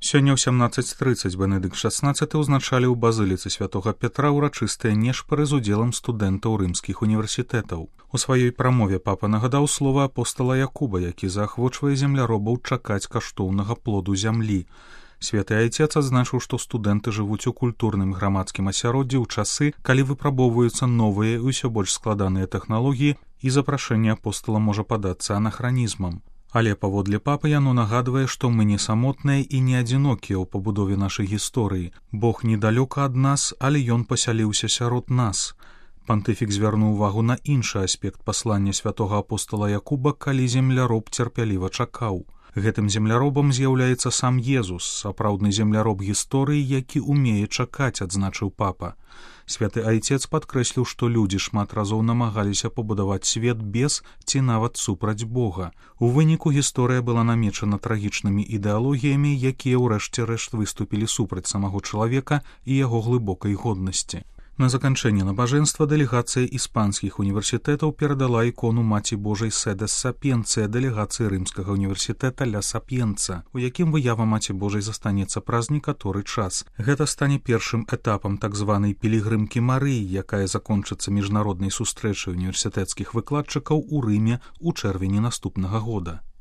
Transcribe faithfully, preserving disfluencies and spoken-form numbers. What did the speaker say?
Сёння ў сямнаццаць трыццаць Бенедыкт шаснаццаты ўзначаліў у базыліцы святога Петра ўрачыстыя нешпары з удзелам студэнтаў рымскіх універсітэтаў. У сваёй прамове папа нагадаў слова апостала Якуба, які заахвочвае земляробаў чакаць каштоўнага плоду зямлі. Святы айцец адзначыў, што студэнты жывуць у культурным грамадскім асяроддзі ў часы, калі выпрабоўваюцца новыя і ўсё больш складаныя тэхналогіі, і запрашэнне апостала можа падацца анахранізмам. Але паводле папы яно нагадвае, што мы не самотныя і не адзінокія ў пабудове нашай гісторыі. Бог недалёка ад нас, але ён пасяліўся сярод нас. Пантыфік звярнуў увагу на іншы аспект паслання святога апостала Якуба, калі земляроб цярпяліва чакаў. Гэтым земляробам з'яўляецца сам Езус, сапраўдны земляроб гісторыі, які умее чакаць, адзначыў папа. Святы айцец падкрэсліў, што людзі шмат разоў намагаліся пабудаваць свет без ці нават супраць Бога. У выніку гісторыя была намечана трагічнымі ідэалогіямі, якія ўрэшце рэшт выступілі супраць самого чалавека і яго глыбокай годнасці. На заканчэнне набажэнства дэлегацыя іспанскіх універсітэтаў перадала ікону Маці Божай Седес Сапіенцыя дэлегацыі рымскага універсітэта Ля Сапіенца, у якім выява Маці Божай застанецца праз некаторы час. Гэта стане першым этапам так званай пілігрымкі Марыі, якая закончыцца міжнароднай сустрэчай універсітэцкіх выкладчыкаў у Рыме ў чэрвені наступнага года.